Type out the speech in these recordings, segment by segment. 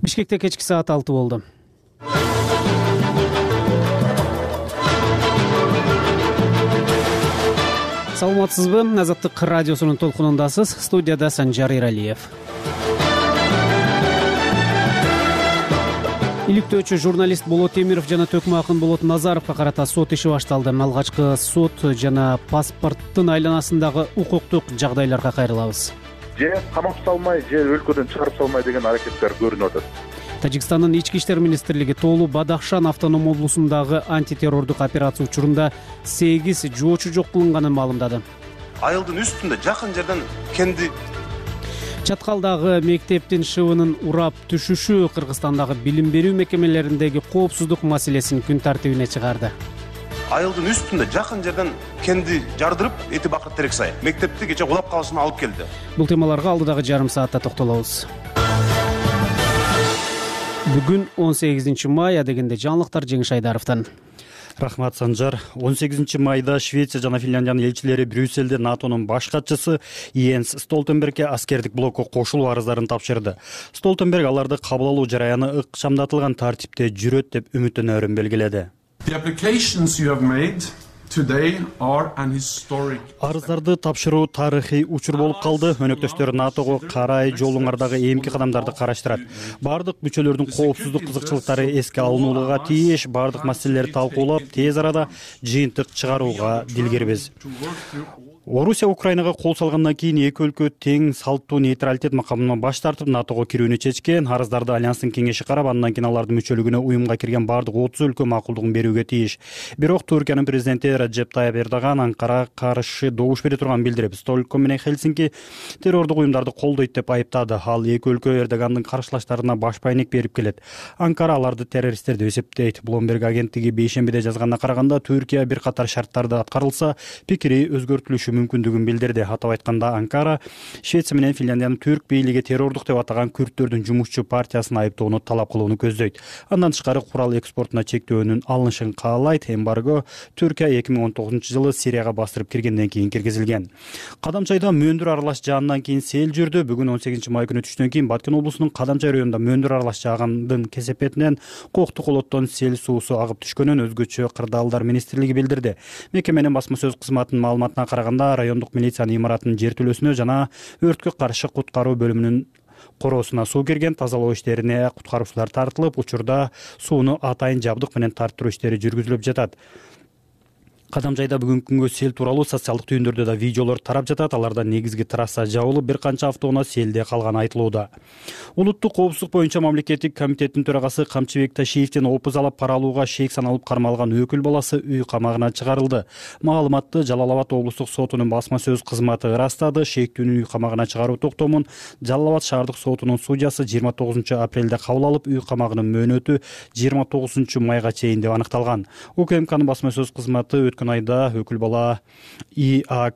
Бишкекте кечки саат 6 болду. Саламатсызбы? Азаттык радиосунун толкунундасыз. Студияда Санжар Иралиев. Иликтөөчү журналист Болот Темиров жана Төкмө акын Болот Назаровго карата сот иши башталды. Алгачкы сот жана паспорттун айланасындагы укуктук жагдайларга кайрылабыз. Же камап салмай, же өлкөдөн чыгарып салмай деген аракеттер көрүнүп атат. Тажикстандын ички иштер министрлиги Тоолу Бадахшан автоном облусундагы антитеррордук операция учурунда 8 жоочу жок кылынганын маалымдады. Айылдын үстүндө жакын жерден кенди Чаткалдагы мектептин шыбынын урап түшүшү Кыргызстандагы билим берүү мекемелериндеги коопсуздук маселесин күн тартибине чыгарды. Айылдын үстүндө жакын жерден кенди жардырып, эти бакыр терек сай мектепти кече улап калышына алып келди. Бул темаларга алдыдагы жарым саатта токтолобуз. Бүгүн 18 май, дегенде жаңылыктар Жеңиш Айдаровдон. Рахмат, Санжар. 18 майда Швеция жана Финляндиянын элчилери Брюссельде НАТОнун баш катчысы Йенс Столтенбергке аскердик блокко кошулуу арыздарын тапшырды. Столтенберг аларды кабыл алуу жараяны ыкчамдатылган тартипте жүрөт деп үмүттөнөрүн белгиледи. Арыздарды тапшыруу тарыхый учур болуп калды. Өнөктөштөр НАТОго карай жолуңардагы эмки кадамдарды караштырат. Бардык мүчөлөрдүн коопсуздук кызыкчылыктары эске алынууга тийиш, бардык маселелерди талкуулап, тез арада жыйынтык чыгарууга дилгирбиз. Орусия Украинага кол салгандан кийин эки өлкө тең салттуу нейтралитет макамынан баш тартып НАТОго кирүүнү чечкен. Арыздарды Альянстын кеңеши карап, андан кийин алардын мүчөлүгүнө уюмга кирген бардык 30 өлкө макулдугун берүүгө тийиш. Бирок Түркиянын президенти Раджеп Тайып Эрдоган Анкарага каршы добуш бере турганын билдирип, Стокгольм менен Хельсинки террордук уюмдарды колдойт деп айыптады. Ал эки өлкө Эрдогандын каршылаштарына баш байнек берип келет. Анкара аларды террористтер деп эсептейт. Bloomberg агенттиги бейшембиде жазганына караганда, Түркия бир катар шарттарды аткарылса, пикири өзгөртүлүшү мүмкүндүгүн билдирди. Атап айтканда, Анкара Швеция менен Финляндиянын түрк бийлиги террордук деп атаган күрттөрдүн жумушчу партиясын айыптоону талап кылууну көздөйт. Андан тышкары курал экспортуна чектөөнүн алынышын каалайт. Эмбарго Түркия 2019-жылы Сирияга бастырып киргенден кийин киргизилген. Кадамчайда мөндүр аралаш жаандан кийин сел жүрдү. Бүгүн 18 май күнү түштөн кийин Баткен облусунун Кадамчай районунда мөндүр аралаш жаагандын кесепетинен Коктук олоттон сел суусу агып түшкөнүн өзгөчө кырдаалдар министрлиги билдирди. Мекеменин басма сөз кызматынын маалыматына караганда, райондук милициянын имаратынын жертөлөсүнө жана өрткө каршы куткаруу бөлүмүнүн короосуна суу кирген. Тазалоо иштерине куткаруучулар тартылып, учурда сууну атайын жабдык менен тарттыруу иштери жүргүзүлүп жатат. Кадамжайда бүгүнкү күнгө сел тууралуу социалдык түйүндөрдө да видеолор тарап жатат. Аларда негизги трасса жабылып, бир канча автоунаа селде калганы айтылууда. Улуттук коопсуздук боюнча мамлекеттик комитеттин төрагасы Камчыбек Ташиевдин опуз алып пара алууга шейк саналып кармалган өкүл баласы үй камагына чыгарылды. Маалыматты Жалал Абад облустук сотунун басма сөз кызматы ырастады. Шейктүүнүн үй камагына чыгаруу токтомун Жалал Абад шаардык сотунун судьясы 29 апрелде кабыл алып, үй камагынын мөөнөтү 29 майга чейин деп аныкталган. УКМКнын басма сөз кызматы өткөн айда өкүл бала И.А.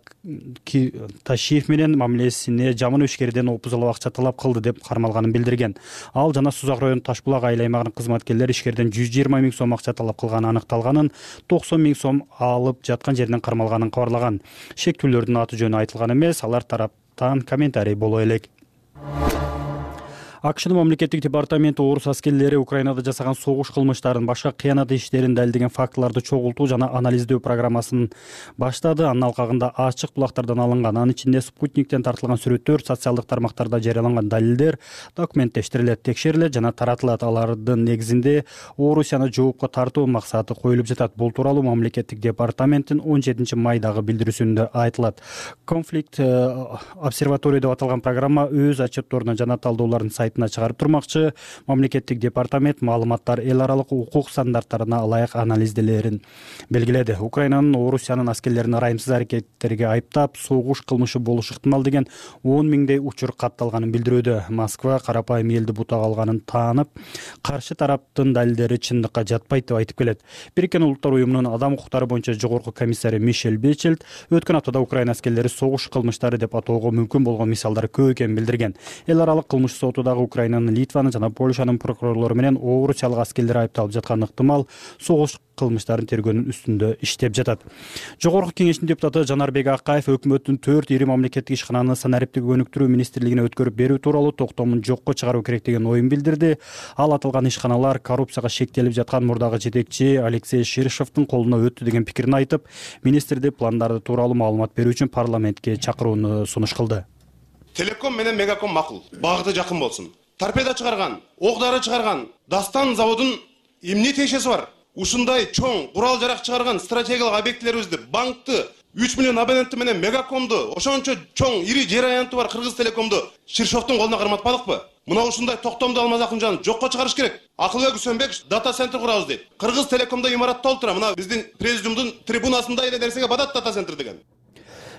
Ташиев менен мамилесине жаман ишкерден опуз алып акча талап кылды деп кармалганын билдирген. Ал жана Сузак району Ташбулак айыл аймагынын кызматкерлери ишкерден 120 000 сом акча талап кылганы аныкталганын, 90 000 сом алып жаткан жеринен кармалганын кабарлаган. Шектүүлөрдүн аты жөнү айтылган эмес, алар тараптан комментарий боло элек. АКШнын мамлекеттик департаменти орус аскерлери Украинада жасаган согуш кылмыштарын, башка кыянат иштерин далилдеген фактыларды чогултуу жана анализдөө программасын баштады. Анын алкагында ачык булактардан алынган, анын ичинде спутниктен тартылган сүрөттөр, социалдык тармактарда жарыяланган далилдер документтештирилет, текшерилет жана таратылат. Алардын негизинде Орусияны жоопко тартуу максаты коюлуп жатат. Бул тууралуу мамлекеттик департаменттин 17 майдагы билдирүүсүндө айтылат. Конфликт обсерватория деп аталган программа өз отчетторуна жана талдоолордун сайтына чыгарып турмакчы. Мамлекеттик департамент маалыматтар эл аралык укук стандарттарына ылайык анализделерин белгиледи. Украинанын Орусиянын аскерлерин ырайымсыз аракеттерге айыптап, согуш кылмышы болушу ыктымал деген 10 000 учур катталганын билдирүүдө. Москва карапайым элди бутак алганын таанып, каршы тараптын далилдери чындыкка жатпайт деп айтып келет. Бириккен Улуттар уюмунун адам укуктары боюнча жогорку комиссары Мишель Бечелд өткөн аптада Украина аскерлери согуш кылмыштары деп атоого мүмкүн болгон мисалдар көп экенин билдирген. Эл аралык кылмыш сотудагы дагы Украинанын, Литванын жана Польшанын прокурорлору менен Орусиялык аскерлер айыпталып жатканы ыктымал согуш кылмыштарын тергөөнүн үстүндө иштеп жатат. Жогорку кеңештин депутаты Жанарбек Акаев өкмөттүн 4 ири мамлекеттик ишкананы санариптик өнүктүрүү министрлигине өткөрүп берүү тууралуу токтомун жокко чыгаруу керек деген оюн билдирди. Ал аталган ишканалар коррупцияга шектелип жаткан мурдагы жетекчи Алексей Ширшовдун колуна өттү деген пикирин айтып, министрди пландары тууралуу маалымат берүү үчүн парламентке чакырууну сунуш кылды. Телеком менен Мегаком макул, багыты жакын болсун. Торпеда чыгарган, ок дары чыгарган Дастан заводунун эмне тиешеси бар? Ушундай чоң курал жарак чыгарган стратегиялык объектилерибизди, банкты, 3 миллион абоненти менен Мегакомду, ошончо чоң ири жер аянты бар Кыргыз Телекомду Ширшовдун колуна карматпадыкпы? Мына ушундай токтомду Алмаз Акынжанов жокко чыгарыш керек. Акылбек Үсөнбек дата центр курабыз дейт. Кыргыз Телекомдо имаратта отура, мына биздин президиумдун трибунасында эле нерсеге бадат дата центр деген.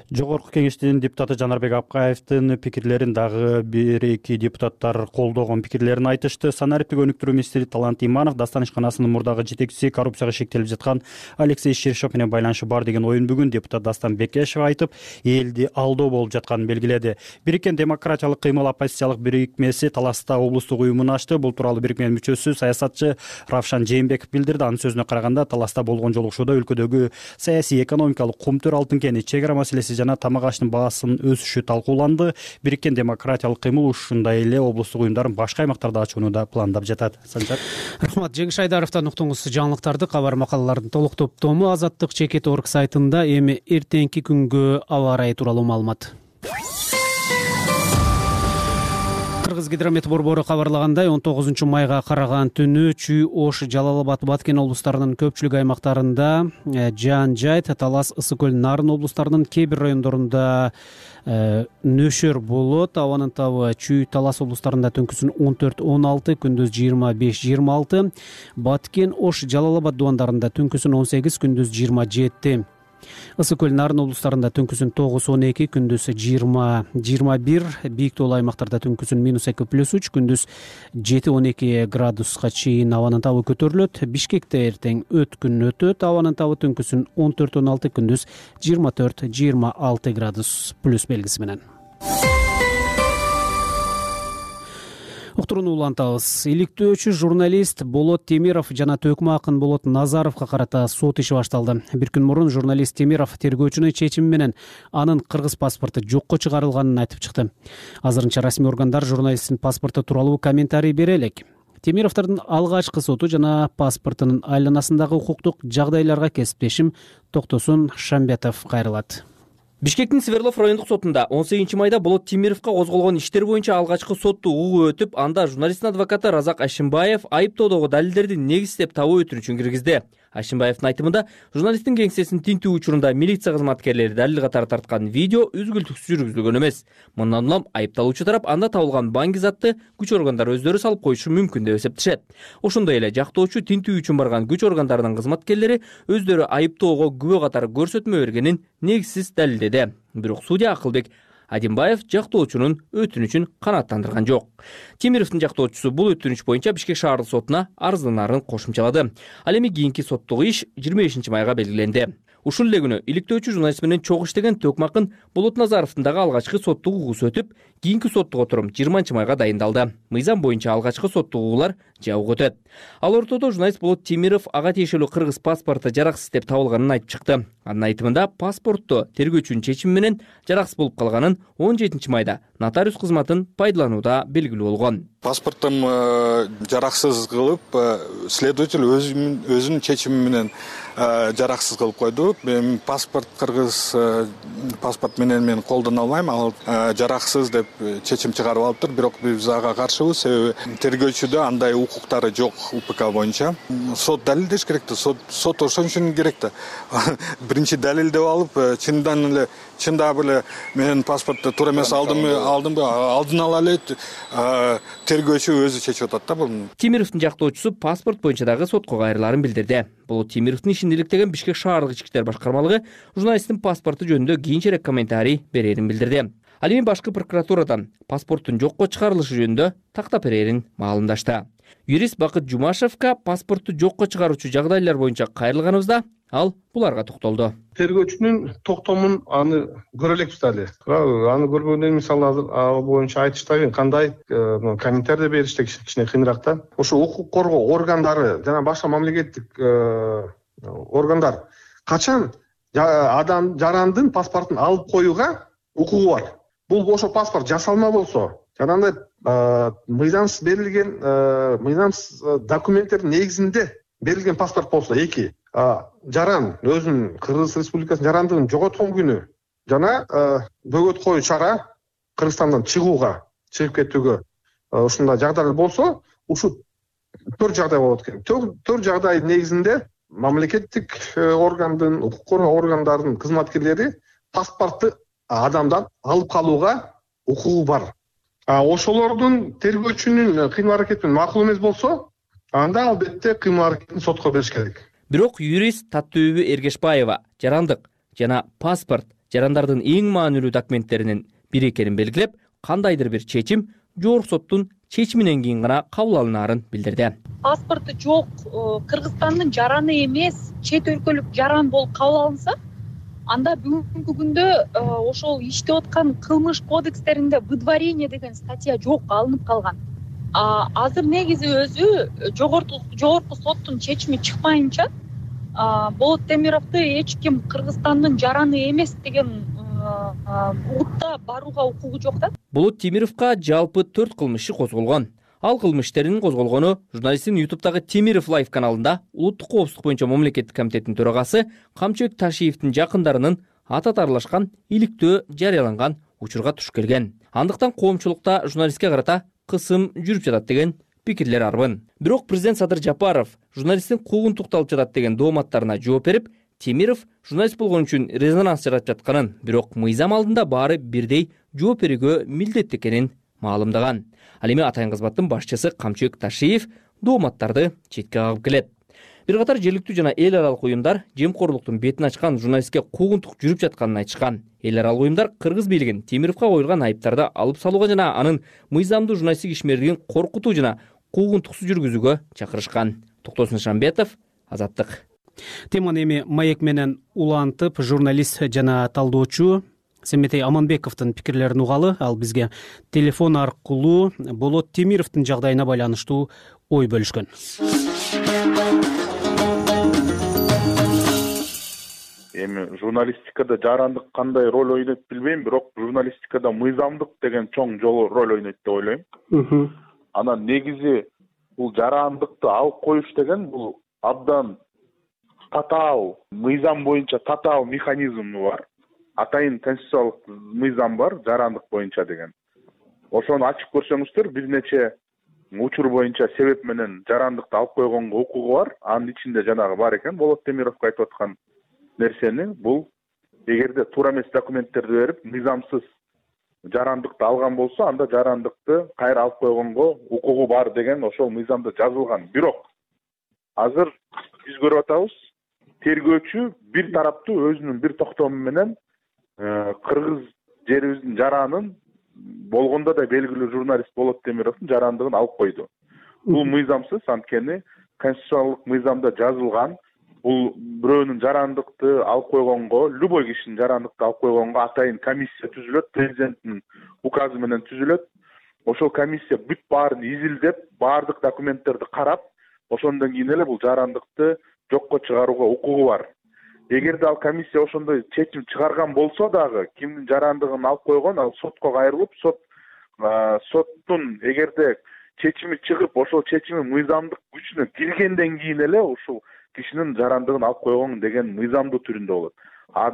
Жогорку кеңештин депутаты Жанарбек Акаевдин пикирлерин дагы бир-эки депутаттар колдогон пикирлерин айтышты. Санариптик өнүктүрүү министри Талант Иманов Дастан ишканасынын мурдагы жетекчиси коррупцияга шектелип жаткан Алексей Ширшов менен байланышы бар деген оюн бүгүн депутат Дастан Бекешев айтып, элди алдоо болуп жатканын белгиледи. Бириккен демократиялык кыймыл оппозициялык бирикмеси Таласта облустук уюмун ачты. Бул тууралуу бирикменин мүчөсү саясатчы Равшан Жээнбеков билдирди. Анын сөзүнө караганда, Таласта болгон жолугушууда өлкөдөгү саясий экономикалык кумтөр, алтын кени, чек ара маселеси жана тамак аштын баасынын өсүшү талкууланды. Бириккен демократиялык кыймыл ушундай эле облустук уюмдарын башка аймактарда ачууну да пландап жатат. Санжар. Рахмат. Жеңиш Айдаровдон уктуңуз жаңылыктарды. Кабар макалалардын толук топтому Азаттык Чекит.орг сайтында. Эми эртеңки күнгө аба ырайы тууралуу маалымат. Кыргызгидромет борбору кабарлагандай, 19 майга караган түнү Чүй, Ош, Жалал-Абад, Баткен облустарынын көпчүлүк аймактарында, Жаан Жайт, Талас, Ысык көл, Нарын облустарынын кээ бир райондорунда нөшөр болот. Абанын табы Чүй, Талас облустарында түнкүсүн 14-16, күндүз 25-26, Баткен, Ош, Жалал-Абад дубандарында түнкүсүн 18, күндүз 27. Ысык көл, Нарын облустарында түнкүсүн 9-12, күндүз 20-21, бийик тоолуу аймактарда түнкүсүн -2+3, күндүз 7-12 градуска чейин абанын табы көтөрүлөт. Бишкекте эртең өткүн өтөт. Абанын табы түнкүсүн 14-16, күндүз 24-26 градус плюс белгиси менен. Уктурууну улантабыз. Иликтөөчү журналист Болот Темиров жана төкмө акын Болот Назаровго карата сот иши башталды. Бир күн мурун журналист Темиров тергөөчүнүн чечими менен анын кыргыз паспорту жокко чыгарылганын айтып чыкты. Азырынча расмий органдар журналисттин паспорту тууралуу комментарий бере элек. Темировдордун алгачкы соту жана паспортунун айланасындагы укуктук жагдайларга кесиптешим Токтосун Шамбетов кайрылат. Бишкектин Свердлов райондук сотунда 18 майда Болот Темировго козголгон иштер боюнча алгачкы сотту угуу өтүп, анда журналисттин адвокаты Разак Ашимбаев айыптоодогу далилдерди негиздеп табуу өтүнүчүн киргизди. Ашимбаевдин айтымында, журналисттин кеңсесин тинтүү учурунда милиция кызматкерлери далил катары тарткан видео үзгүлтүксүз жүргүзүлгөн эмес. Мындан улам айыпталуучу тарап анда табылган банк затты күч органдары өздөрү салып коюшу мүмкүн деп эсептешет. Ошондой эле жактоочу тинтүү үчүн барган күч органдарынын кызматкерлери өздөрү айыптоого күбө катары көрсөтмө бергенин негизсиз далилдеди. Бирок судья Акылбек Адимбаев жактоочунун өтүнүчүн канааттандырган жок. Темировдун жактоочусу бул өтүнүч боюнча Бишкек шаардык сотуна арызданарын кошумчалады. Ал эми кийинки соттук иш 25 майга белгиленди. Ушул эле күнү иликтөөчү журналист менен чогуу иштеген Төкмө акын Болот Назаровдун дагы алгачкы соттук угуусу өтүп, кийинки соттук отурум 20 майга дайындалды. Мыйзам боюнча алгачкы соттук угуулар жабык өтөт. Ал ортодо журналист Болот Темиров ага тиешелүү кыргыз паспорту жараксыз деп табылганын айтып чыкты. Анын айтымында паспортту тергөөчүнүн чечими менен жараксыз болуп калганын 17 майда нотариус кызматын пайдаланууда белгилүү болгон. Паспортум жараксыз кылып, следователь өзүнүн чечими менен жараксыз кылып койду. Паспорт кыргыз паспорт менен мен колдоно албайм, ал жараксыз деп чечим чыгарып алыптыр. Бирок биз ага каршыбыз, себеби тергөөчүдө андай укуктары жок УПК боюнча. Сот далилдеш керек да, сот ошон үчүн керек да. Биринчи далилдеп алып, чындап эле менин паспортто туура эмес алдымбы, алдын ала эле тергөөчү өзү чечип атат да буну. Темировдун жактоочусу паспорт боюнча дагы сотко кайрыларын билдирди. Болот Темировдун ишин иликтеген Бишкек шаардык ички иштер башкармалыгы журналисттин паспорту жөнүндө кийинчерээк комментарий берерин билдирди. Ал эми башкы прокуратурадан паспорттун жокко чыгарылышы жөнүндө тактап берерин маалымдашты. Юрист Бакыт Жумашевка паспортту жокко чыгаруучу жагдайлар боюнча кайрылганыбызда Ал буларга токтолду. Тергөөчүнүн токтомун аны көрө элекпиз дали. Аны көргөндөн мисалы азыр ал боюнча айтыштагы кандай комментарий бериште кичине кыйыныраак да. Ошо укук коргоо органдары жана башка мамлекеттик органдар качан адам жарандын паспортун алып коюуга укугу бар. Бул ошо паспорт жасалма болсо, жанагындай мыйзамсыз берилген мыйзамсыз документтердин негизинде берилген паспорт болсо, эки жаран өзүнүн Кыргыз Республикасынын жарандыгын жоготкон күнү жана бөгөт коюу чара Кыргызстандан чыгып кетүүгө ушундай жагдайлар болсо, ушул 4 жагдай болот экен. 4 жагдайдын негизинде мамлекеттик органдын, укук коргоо органдарынын кызматкерлери паспортты адамдан алып калууга укугу бар. Ошолордун тергөөчүнүн кыймыл аракети макул эмес болсо, анда албетте кыймыл аракетин сотко бериш керек. Бирок юрист Таттыөбү Эргешбаева жарандык жана паспорт жарандардын эң маанилүү документтеринин бири экенин белгилеп, кандайдыр бир чечим жогорку соттун чечиминен кийин гана кабыл алынаарын билдирди. Паспорту жок Кыргызстандын жараны эмес, чет өлкөлүк жаран болуп кабыл алынса, анда бүгүнкү күндө ошол иштеп аткан кылмыш кодекстеринде выдворение деген статья жок, алынып калган. Азыр негизи өзү жогорку соттун чечими чыкпайынча Болот Темировду эч ким Кыргызстандын жараны эмес деген утта барууга укугу жок да. Болот Темировго жалпы 4 кылмышы козголгон. Ал кылмыштеринин козголгону журналисттин YouTube'дагы Темиров Live каналында улуттук коопсуздук боюнча мамлекеттик комитеттин төрагасы Камчыбек Ташиевдин жакындарынын аты атарлашкан иликтөө жарыяланган учурга туш келген. Андыктан коомчулукта журналистке карата кысым жүрүп жатат деген пикирлер арбын. Бирок президент Садыр Жапаров журналисттин куугун тукталып жатат деген дооматтарына жооп берип, Темиров журналист болгон үчүн резонанс жаратып жатканын, бирок мыйзам алдында баары бирдей жооп берүүгө милдеттүү экенин маалымдаган. Ал эми атайын кызматтын башчысы Камчыбек Ташиев дооматтарды четке кагып келет. Бир катар жергиликтүү жана эл аралык уюмдар жемкорлуктун бетин ачкан журналистке куугунтук жүрүп жатканын айтышкан. Эл аралык уюмдар Кыргыз бийлигин Темировго коюлган айыптарды алып салууга жана анын мыйзамдуу журналисттик ишмерлигин коркутуу жана куугунтуксуз жүргүзүүгө чакырышкан. Токтосун Шамбетов, Азаттык. Теманы эми маек менен улантып, журналист жана талдоочу Семетей Аманбековдун пикирлерин угалы. Ал бизге телефон аркылуу Болот Темировдун жагдайына байланыштуу ой бөлүшкөн. Эми журналистикада жарандык кандай роль ойнойт билбейм, бирок журналистикада мыйзамдык деген чоң роль ойнойт деп ойлойм. Анан негизи бул жарандыкты алып коюш деген бул абдан татаал, мыйзам боюнча татаал механизми бар. Атайын конституциялык мыйзам бар жарандык боюнча деген. Ошону ачып көрсөңүздөр, бир нече учур боюнча себеп менен жарандыкты алып койгонго укугу бар. Анын ичинде жанагы бар экен, Болот Темировго айтып аткан нерсени, бул эгерде туура эмес документтерди берип, мыйзамсыз жарандыкты алган болсо, анда жарандыкты кайра алып койгонго укугу бар деген ошол мыйзамда жазылган. Бирок азыр биз көрүп атабыз, тергөөчү бир тараптуу өзүнүн бир токтому менен Кыргыз жерибиздин жаранын болгондо да белгилүү журналист Болот Темировдун жарандыгын алып койду. Бул мыйзамсыз, анткени конституциялык мыйзамда жазылган. Бул бирөөнүн жарандыкты алып койгонго, любой кишинин жарандыкты алып койгонго атайын комиссия түзүлөт, президенттин указы менен түзүлөт. Ошол комиссия бүт баарын изилдеп, баардык документтерди карап, ошондон кийин эле бул жарандыкты жокко чыгарууга укугу бар. Эгерде ал комиссия ошондой чечим чыгарган болсо дагы, кимдин жарандыгын алып койгон, ал сотко кайрылып, соттун эгерде чечими чыгып, ошол чечими мыйзамдык күчүнө киргенден кийин эле ушул кишинин жарандыгын алып койгон деген мыйзамдуу түрүндө болот.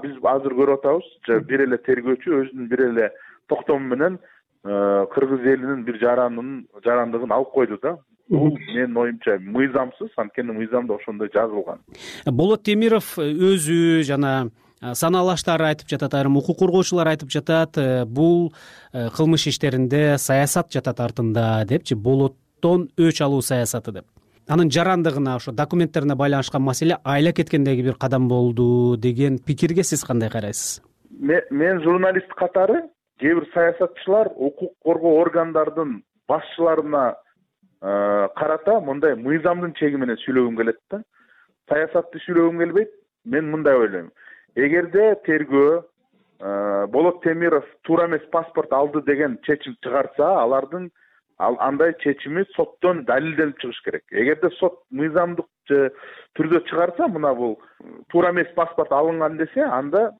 Биз азыр көрүп атабыз, бир эле тергөөчү өзүнүн бир эле токтому менен Кыргыз элинин бир жарандыгын алып койду да. Бул менин оюмча мыйзамсыз, анткени мыйзамда ошондой жазылган. Болот Темиров өзү жана санаалаштары айтып жатат, айрым укук коргоочулар айтып жатат, бул кылмыш иштеринде саясат жатат артында депчи, Болоттон өч алуу саясаты деп. Анын жарандыгына, ошо документтерине байланышкан маселе айла кеткендеги бир кадам болду деген пикирге сиз кандай карайсыз? Мен журналист катары кээ бир саясатчылар укук коргоо органдардын башчыларына карата мындай мыйзамдын чеги менен сүйлөгүм келет да. Саясатты сүйлөгүм келбейт. мен мындай ойлойм. Эгерде тергөө Болот Темиров туура эмес паспорт алды деген чечим чыгарса, алардын андай чечими соттон далилденип чыгыш керек. Эгерде сот мыйзамдык түрдө чыгарса, мына бул туура эмес паспорт алынган десе, анда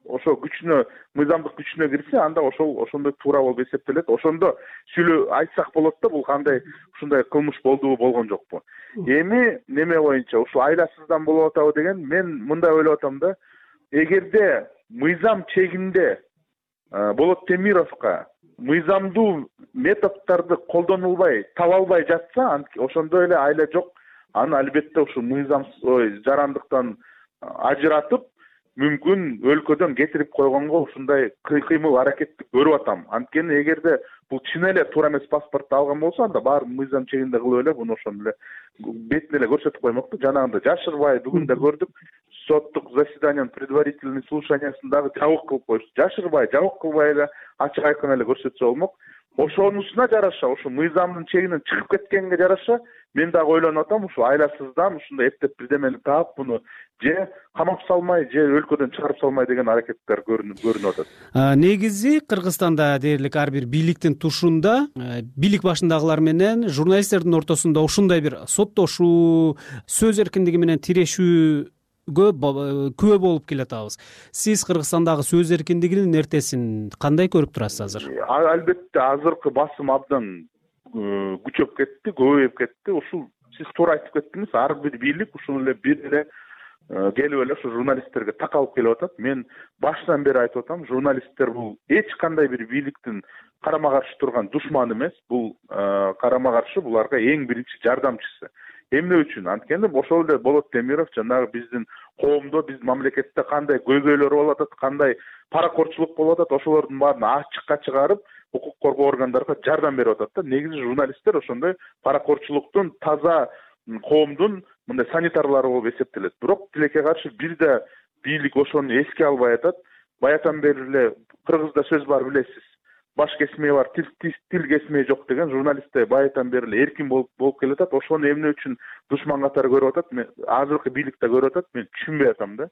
ошо күчүнө, мыйзамдык күчүнө кирсе, анда ошондой туура болуп эсептелет. Ошондо сүйлөп айтсак болот да, бул кандай ушундай кылмыш болдубу, болгон жокпу. Эми неме боюнча ушу айласыздан болуп атабы деген, мен мындай ойлоп атам да, эгерде мыйзам чегинде Болот Темировго мыйзамдуу методдорду колдонулбай, таба албай жатса, ошондо эле айла жок, аны албетте ушу мыйзам жарандыктан ажыратып, мүмкүн өлкөдөн кетирип койгонго ушундай кыймыл аракетти көрүп атам. Анткени эгерде бул чын эле туура эмес паспортду алган болсо, анда баары мыйзам чегинде кылып эле буну ошондо эле бетине эле көрсөтүп коймок да. Жанагындай жашырбай, бүгүн да көрдүк, соттук заседаниянын предварительный слушаниясын дагы жабык кылып коюшту. Жашырбай, жабык кылбай эле ачык айкын эле көрсөтсө болмок. Ошонусуна жараша, ушу мыйзамдын чегинен чыгып кеткенге жараша, мен дагы ойлонуп атам, ушу айласыздан ушундай эптеп бирдемени таап, буну же камап салмай, же өлкөдөн чыгарып салмай деген аракеттер көрүнүп атат. Негизи Кыргызстанда дээрлик ар бир бийликтин тушунда бийлик башындагылар менен журналисттердин ортосунда ушундай бир соттошуу, сөз эркиндиги менен тирешүү күбө болуп келатабыз. Сиз Кыргызстандагы сөз эркиндигинин эртесин кандай көрүп турасыз азыр? Албетте азыркы басым абдан күчөп кетти, көбөйүп кетти. Ушул сиз туура айтып кеттиңиз, ар бир бийлик ушул эле бир эле келип эле ушу журналисттерге такалып келип атат. Мен башынан бери айтып атам, журналисттер бул эч кандай бир бийликтин карама каршы турган душманы эмес, бул карама каршы буларга эң биринчи жардамчысы. Эмне үчүн? Анткени ошол эле Болот Темиров жанагы биздин коомдо, биздин мамлекетте кандай көйгөйлөр болуп атат, кандай паракорчулук болуп атат, ошолордун баарын ачыкка чыгарып, укук коргоо органдарына жардам берип атат да. Негизи журналисттер ошондой паракорчулуктун, таза коомдун мындай санитарлары болуп эсептелет. Бирок тилекке каршы бир да бийлик ошону эске албай атат. Баятан бери эле Кыргызда сөз бар, билесиз. Баш кесмей бар, тил кесмей жок деген. Журналисттер баятан бери эле эркин болуп келатат. Ошону эмне үчүн душман катары көрүп атат? Мен азыркы бийлик да көрүп атат, мен түшүнбөй атам да.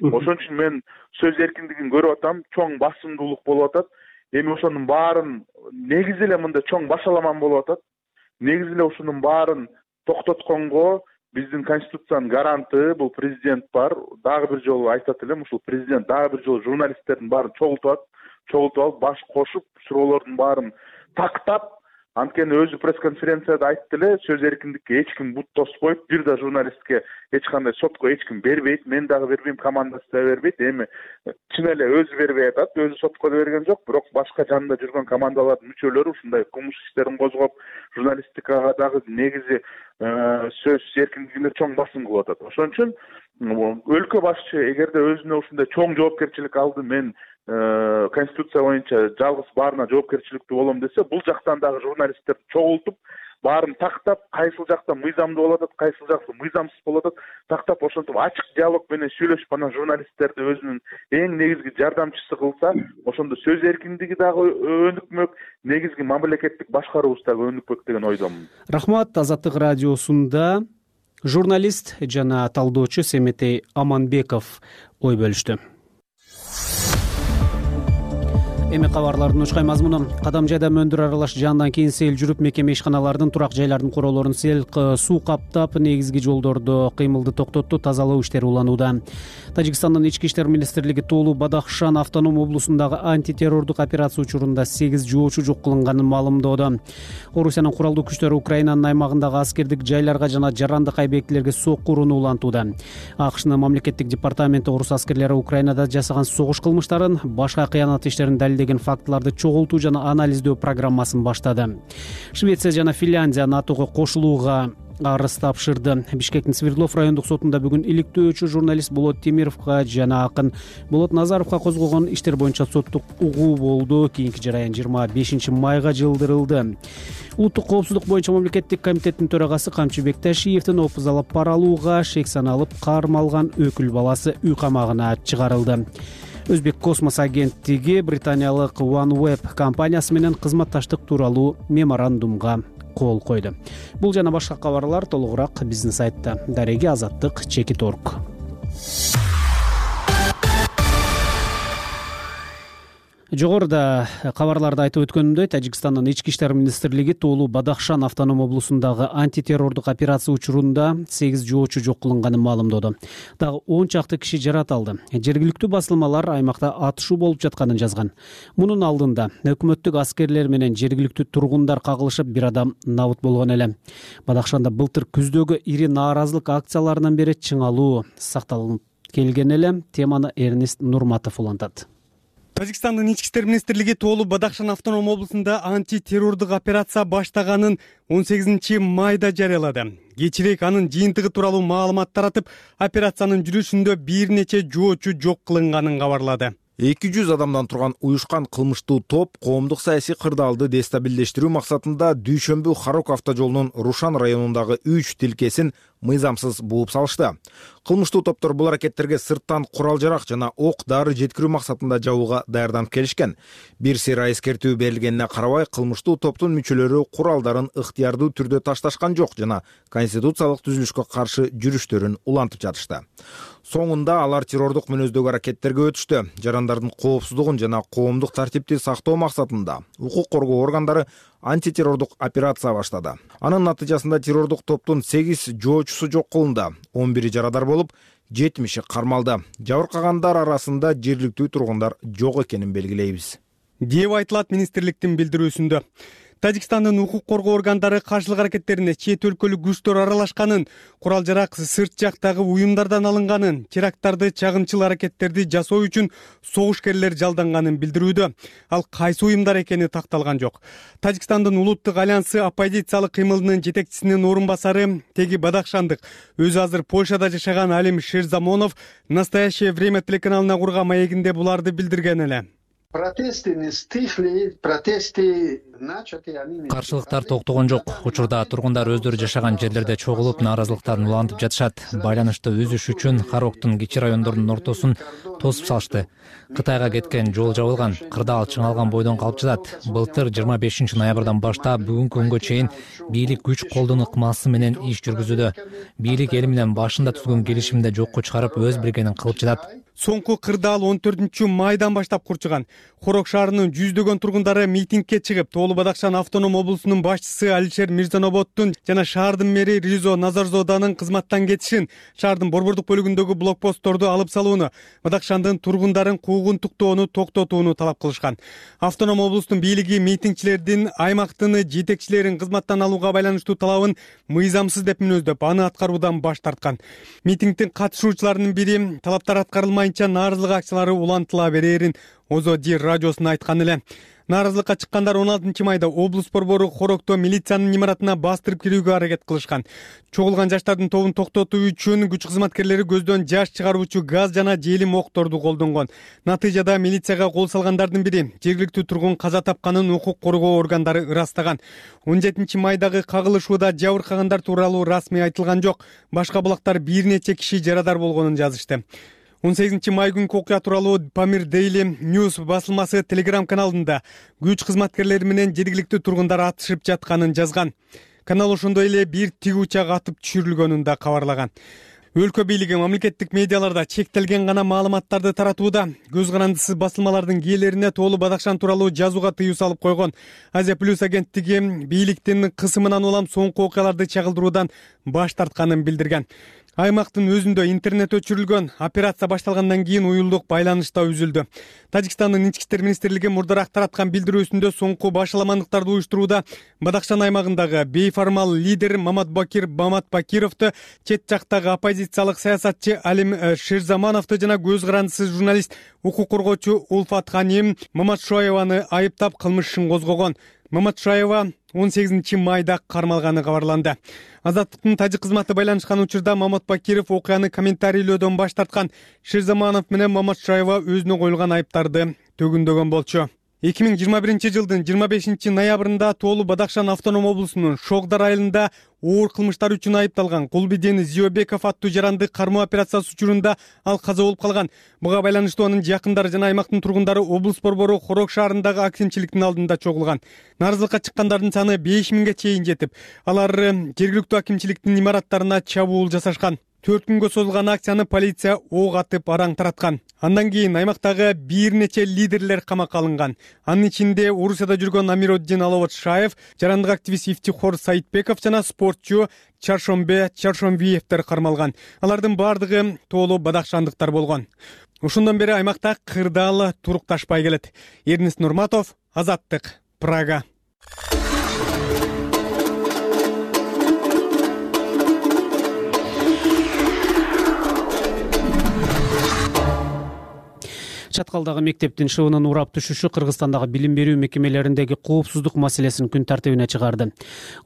Ошон үчүн мен сөз эркиндигин көрүп атам, чоң басымдуулук болуп атат. Эми ошонун баарын негизи эле мындай чоң башаламан болуп атат. Негизи эле ушунун баарын токтотконго биздин конституциянын гаранты бул президент бар. Дагы бир жолу айтат элем, ушул президент дагы бир жолу журналисттердин баарын чогултуп алып, баш кошуп, суроолордун баарын тактап, анткени өзү пресс-конференцияда айтты эле, сөз эркиндикке эч ким бут тоспойт, бир да журналистке эч кандай сотко эч ким бербейт, мен дагы бербейм, командасы да бербейт. Эми чын эле өзү бербей атат, өзү сотко да берген жок, бирок башка жанында жүргөн командалардын мүчөлөрү ушундай кылмыш иштерин козгоп, журналистикага дагы негизи сөз эркиндигине чоң басым кылып атат. Ошон үчүн өлкө башчы эгерде өзүнө ушундай чоң жоопкерчилик алды, мен конституция боюнча жалгыз баарына жоопкерчиликтүү болом десе, бул жактан дагы журналисттерди чогултуп, баарын тактап, кайсыл жакта мыйзамдуу болуп атат, кайсыл жакта мыйзамсыз болуп атат, тактап ошентип ачык диалог менен сүйлөшүп, анан журналисттерди өзүнүн эң негизги жардамчысы кылса, ошондо сөз эркиндиги дагы өнүкмөк, негизги мамлекеттик башкаруубуз дагы өнүкмөк деген ойдомун. Рахмат. Азаттык радиосунда журналист жана талдоочу Семетей Аманбеков ой бөлүштү. Эми кабарлардын учкай мазмуну. Кадам жайда мөндүр аралаш жандан кийин сел жүрүп, мекеме ишканалардын, турак жайлардын куралоорун сел суу каптап, негизги жолдордо кыймылды токтотту, тазалоо иштери уланууда. Тажикстандын ички иштер министрлиги Тоолу Бадахшан автоном облусундагы антитеррордук операция учурунда 8 жоочу жок кылынганын маалымдоодо. Орусиянын куралдуу күчтөрү Украинанын аймагындагы аскердик жайларга жана жарандык объектилерге сокку урууну улантууда. АКШнын мамлекеттик департаменти орус аскерлери Украинада жасаган согуш кылмыштарын, башка кыянат иштерин далилдеген фактыларды чогултуу жана анализдөө программасын баштады. Швеция жана Финляндия НАТОго кошулууга арыз тапшырды. Бишкектин Свердлов райондук сотунда бүгүн иликтөөчү журналист Болот Темировго жана акын Болот Назаровго козголгон иштер боюнча соттук угуу болду. Кийинки жараян 25 майга жылдырылды. Улуттук коопсуздук боюнча мамлекеттик комитеттин төрагасы Камчыбек Ташиевдин опуз алып пара алууга шек саналып кармалган өкүл баласы үй камагына чыгарылды. Өзбек космос агенттиги британиялык OneWeb компаниясы менен кызматташтык тууралуу меморандумга кол койду. Бул жана башка кабарлар толугураак биздин сайтта. Дареги Азаттык _org. Жогоруда кабарларда айтып өткөнүмдөй, Тажикстандын ички иштер министрлиги Тоолу Бадахшан автоном облусундагы антитеррордук операция учурунда 8 жоочу жок кылынганын маалымдоду. Дагы 10 чакты киши жаратылды. Жергиликтүү басылмалар аймакта атышуу болуп жатканын жазган. Мунун алдында өкмөттүк аскерлер менен жергиликтүү тургундар кагылышып, бир адам набыт болгон эле. Бадахшанда былтыр күздөгү ири нааразылык акцияларынан бери чыңалуу сакталып келген эле. Теманы Эрнест Нурматов улантат. Тажикстандын ички иштер министрлиги Тоолу Бадахшан автоном облусунда антитеррордук операция баштаганын 18 майда жарыялады. Кечирээк анын жыйынтыгы тууралуу маалымат таратып, операциянын жүрүшүндө бир нече жоочу жок кылынганын кабарлады. 200 адамдан турган уюшкан кылмыштуу топ коомдук саясий кырдаалды дестабилдештирүү максатында дүйшөмбү Харок автожолунун Рушан районундагы 3 тилкесин мыйзамсыз бууп салышты. Кылмыштуу топтор бул аракеттерге сырттан курал-жарак жана ок-дары жеткирүү максатында жабууга даярданып келишкен. Бир сыйра эскертүү берилгенине карабай, кылмыштуу топтун мүчөлөрү куралдарын ыктыярдуу түрдө ташташкан жок жана конституциялык түзүлүшкө каршы жүрүштөрүн улантып жатышты. Соңунда алар террордук мүнөздөгү аракеттерге өтүштү. Жарандардын коопсуздугун жана коомдук тартипти сактоо максатында укук коргоо органдары антитеррордук операция баштады. Анын натыйжасында террордук топтун 8 жоочусу жок кылынды, 11 жарадар болуп, 70 кармалды. Жабыркагандар арасында жергиликтүү тургундар жок экенин белгилейбиз, деп айтылат министрликтин билдирүүсүндө. Тажикстандын укук коргоо органдары каршылык аракеттерине чет өлкөлүк күчтөр аралашканын, курал-жарак сырт жактагы уюмдардан алынганын, теракттарды чагымчыл аракеттерди жасоо үчүн согушкерлер жалданганын билдирүүдө. Ал кайсы уюмдар экени такталган жок. Тажикстандын улуттук альянсы оппозициялык кыймылынын жетекчисинин орун басары теги Бадахшандык өзү азыр Польшада жашаган Алим Шерзамонов «Настоящее время» телеканалына курган маегинде буларды билдирген эле. Каршылыктар токтогон жок. Учурда тургундар өздөрү жашаган жерлерде чогулуп, нааразылыктарын улантып жатышат. Байланышты үзүш үчүн Хароктун кичи райондорунун ортосун тосуп салышты. Кытайга кеткен жол жабылган, кырдаал чыңалган бойдон калып жатат. Былтыр 25 ноябрдан баштап бүгүнкү күнгө чейин бийлик күч колдонуу ыкмасы менен иш жүргүзүүдө. Бийлик эл менен башында түзгөн келишимди жокко чыгарып, өз билгенин кылып жатат. Соңку кырдаал 14 майдан баштап курчуган. Хорок шаарынын жүздөгөн тургундары митингке чыгып, Тоолу Бадахшан автоном облусунун башчысы Алишер Мирзаноботтун жана шаардын мэри Ризо Назарзоданын кызматтан кетишин, шаардын борбордук бөлүгүндөгү блокпостторду алып салууну, Бадахшандын тургундарын куугунтуктоону токтотууну талап кылышкан. Автоном облустун бийлиги митингчилердин аймактын жетекчилерин кызматтан алууга байланыштуу талабын мыйзамсыз деп мүнөздөп, аны аткаруудан баш тарткан. Митингдин катышуучуларынын бири талаптар аткарылмайынча нааразылык акциялары улантыла берерин Озоди радиосуна айткан эле. Нааразылыкка чыккандар 16 майда облус борбору Хорокто милициянын имаратына бастырып кирүүгө аракет кылышкан. Чогулган жаштардын тобун токтотуу үчүн күч кызматкерлери көздөн жаш чыгаруучу газ жана желим окторду колдонгон. Натыйжада милицияга кол салгандардын бири жергиликтүү тургун каза тапканын укук коргоо органдары ырастаган. 17 майдагы кагылышууда жабыркагандар тууралуу расмий айтылган жок. Башка булактар бир нече киши жарадар болгонун жазышты. 18 май күнкү окуя тууралуу Pamir Daily News басылмасы Telegram каналында күч кызматкерлери менен жергиликтүү тургундар атышып жатканын жазган. Канал ошондой эле бир тиг учак атып түшүрүлгөнүн да кабарлаган. Өлкө бийлиги мамлекеттик медиаларда чектелген гана маалыматтарды таратууда, көз карандысыз басылмалардын кээлерине Тоолу Бадахшан тууралуу жазууга тыюу салып койгон. Азия Плюс агенттиги бийликтин кысымынан улам соңку окуяларды чагылдыруудан баш тартканын билдирген. Аймактын өзүндө интернет өчүрүлгөн, операция башталгандан кийин уюлдук байланыш да үзүлдү. Тажикстандын ички иштер министрлиги мурдараак тараткан билдирүүсүндө соңку башаламандыктарды уюштурууда Бадахшан аймагындагы бейформал лидер Мамат Бакировду, чет жактагы оппозициялык саясатчы Алим Шерзамановду жана көз карандысыз журналист, укук коргоочу Улфат Ханим Маматшоеваны айыптап кылмыш ишин козгогон. Маматшоева 18 майда кармалганы кабарланды. Азаттыктын тажик кызматы байланышкан учурда Мамат Бакиров окуяны комментарийлөөдөн баш тарткан. Шерзаманов менен Маматшоева өзүнө коюлган айыптарды төгүндөгөн болчу. 2021 жылдын 25 ноябрында Тоолу Бадахшан автоном облусунун Шогдар айылында оор кылмыштар үчүн айыпталган Кулбиден Зиобеков аттуу жаранды кармоо операциясы учурунда ал каза болуп калган. Буга байланыштуу анын жакындары жана аймактын тургундары облус борбору Хорок шаарындагы акимчиликтин алдында чогулган. Нааразылыкка чыккандардын саны 5000ге чейин жетип, алар жергиликтүү акимчиликтин имараттарына чабуул жасашкан. 4 күнгө созулган акцияны полиция ок атып араң тараткан. Андан кийин аймактагы бир нече лидерлер камакка алынган. Анын ичинде Орусияда жүргөн Амироддин Аловат-Шаев, жарандык активист Ифтихор Саитбеков жана спортчу Чаршомбе Чаршомбиевдер кармалган. Алардын бардыгы тоолуу бадакшандыктар болгон. Ошондон бери аймакта кырдаал турукташпай келет. Эрнест Нурматов, Азаттык, Прага. Чаткалдагы мектептин шыбынын урап түшүшү Кыргызстандагы билим берүү мекемелериндеги коопсуздук маселесин күн тартибине чыгарды.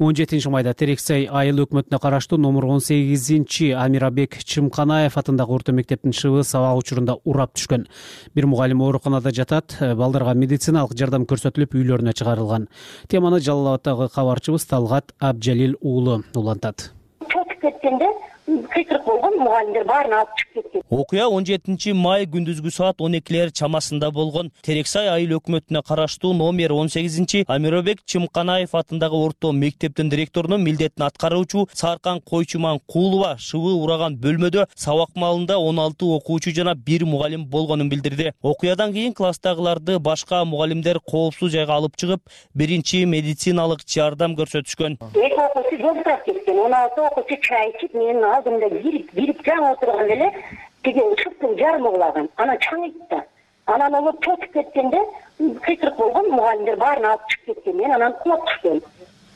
17 майда Терексай айыл өкмөтүнө караштуу номер 18 Амирабек Чымканаев атындагы орто мектептин шыбы сабак учурунда урап түшкөн. Бир мугалим ооруканада жатат, балдарга медициналык жардам көрсөтүлүп үйлөрүнө чыгарылган. Теманы Жалал Абадтагы кабарчыбыз Талгат Абджалил уулу улантат. Кыйкырык болгон, мугалимдер баарын алып чыгып кеткен. Окуя 17 май күндүзгү саат 12 чамасында болгон. Терексай айыл өкмөтүнө караштуу номер 18 Амирабек Чымканаев атындагы орто мектептин директорунун милдетин аткаруучу Саркан Койчуман Куулова шыбы ураган бөлмөдө сабак маалында 16 окуучу жана 1 мугалим болгонун билдирди. Окуядан кийин класстагыларды башка мугалимдер коопсуз жайга алып чыгып, биринчи медициналык жардам көрсөтүшкөн. 16 окуучу чай ичип, менин алдымда кирип жаңы отурган эле тиги шыптын жарымы кулаган. Анан чаңыйт да. Анан ол чөкүп кеткенде кыйкырык болгон, мугалимдер баарын алып чыгып кеткен. Мен анан кулап түшкөн.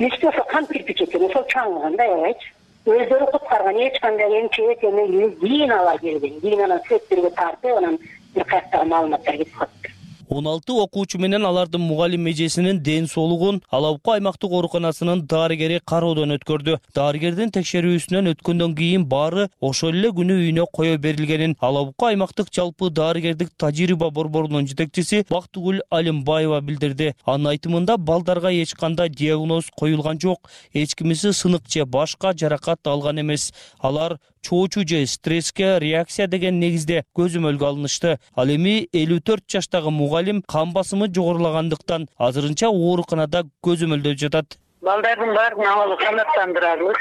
Үстү ошо кам кирпич экен, ошол чаңыганда аябайчы. Өздөрү куткарган, эч кандай эмчек эме кийин ала келген. Кийин анан сөттөргө тартып, анан бир каяктагы маалыматтар кетип калды. 16 окуучу менен алардын мугалим эжесинин ден соолугун Алабука аймактык ооруканасынын дарыгери кароодон өткөрдү. Дарыгердин текшерүүсүнөн өткөндөн кийин баары ошол эле күнү үйүнө кое берилгенин Алабука аймактык жалпы дарыгердик тажрыйба борборунун жетекчиси Бактыгүл Алимбаева билдирди. Анын айтымында балдарга эч кандай диагноз коюлган жок, эч кимиси сынык же башка жаракат алган эмес. Алар чоочу же стресске реакция деген негизде көзөмөлгө алынышты. Ал эми 54 жаштагы мугалим кан басымы жогорулагандыктан азырынча ооруканада көзөмөлдө жатат. Балдардын баарын абалы канааттандырабыз.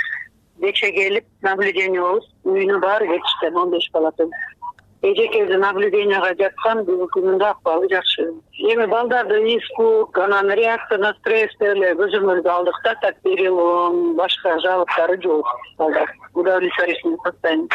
Кече келип наблюдениябыз, үйүнө баары кетишти, 15 балатын. Эжекеди наблюденияга жаткан, бүгүнкү акыбалы жакшы. Эми балдардын испуг, анан реакция на стресс эле көзөмөлгө алдык да, так перелом, башка жабыктары жок. Балдар удовлетворительный состояние.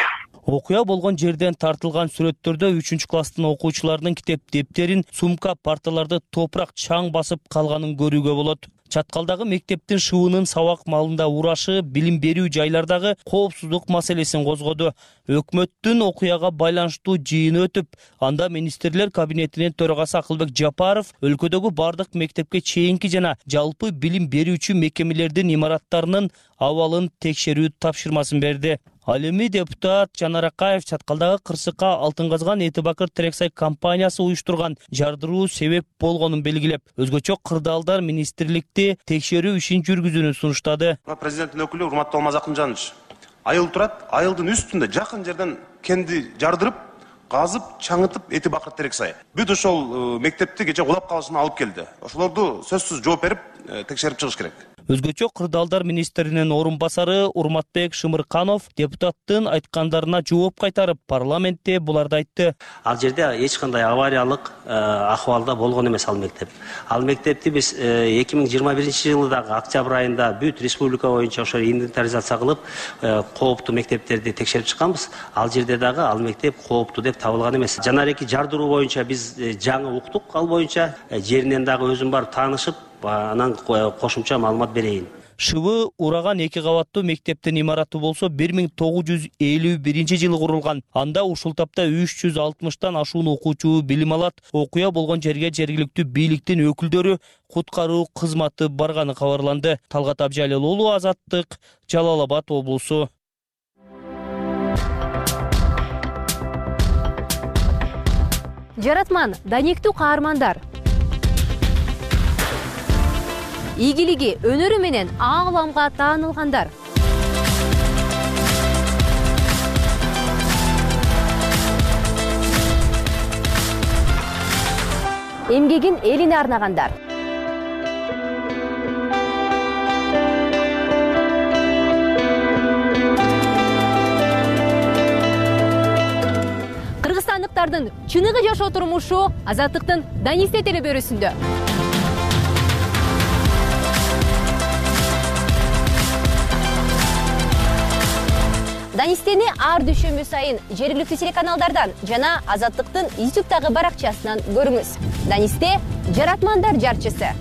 Окуя болгон жерден тартылган сүрөттөрдө 3-класстын окуучуларынын китеп дептерин, сумка, парталарды топурак чаң басып калганын көрүүгө болот. Чаткалдагы мектептин шыбынын сабак маалында урашы билим берүү жайлардагы коопсуздук маселесин козгоду. Өкмөттүн окуяга байланыштуу жыйыны өтүп, анда министрлер кабинетинин төрагасы Акылбек Жапаров өлкөдөгү бардык мектепке чейинки жана жалпы билим берүүчү мекемелердин имараттарынын абалын текшерүү тапшырмасын берди. Ал эми депутат Жанар Акаев чаткалдагы кырсыкка Алтын казган Эти Бакыр Терексай компаниясы уюштурган жардыруу себеп болгонун белгилеп, өзгөчө кырдаалдар министрликти текшерүү ишин жүргүзүүнү сунуштады. Президенттин өкүлү урматтуу Алмаз Акынжанович, айыл турат, айылдын үстүндө жакын жерден кенди жардырып, казып, чаңытып Эти Бакыр Терексай. Бүт ошол мектепти кече кулап калышына алып келди. Ошолорду сөзсүз жооп берип, текшерип чыгыш керек. Өзгөчө кырдаалдар министринин орун басары Урматбек Шымырканов депутаттын айткандарына жооп кайтарып, парламентте буларды айтты. Ал жерде эч кандай авариялык акыбалда болгон эмес ал мектеп. Ал мектепти биз 2021 жылдагы октябрь айында бүт республика боюнча ошо инвентаризация кылып, кооптуу мектептерди текшерип чыкканбыз. Ал жерде дагы ал мектеп кооптуу деп табылган эмес. Жанареки жардыруу боюнча биз жаңы уктук, ал боюнча жеринен дагы өзүм барып таанышып, анан кошумча маалымат берейин. Шыбы ураган 2 кабаттуу мектептин имараты болсо 1951 жылы курулган. Анда ушул тапта 360тан ашуун окуучу билим алат. Окуя болгон жерге жергиликтүү бийликтин өкүлдөрү, куткаруу кызматы барганы кабарланды. Талгат Абжалил уулу, Азаттык, Жалал Абад облусу. Жаратман, даниктүү каармандар. Ийгилиги, өнөрү менен ааламга таанылгандар. Эмгегин элине арнагандар. каармандардын чыныгы жашоо турмушу Азаттыктын Данисте телебөрүсүндө. Данистени ар дүйшөмбү сайын жергиликтүү телеканалдардан жана Азаттыктын YouTube'дагы баракчасынан көрүңүз. Данисте — жаратмандар жарчысы.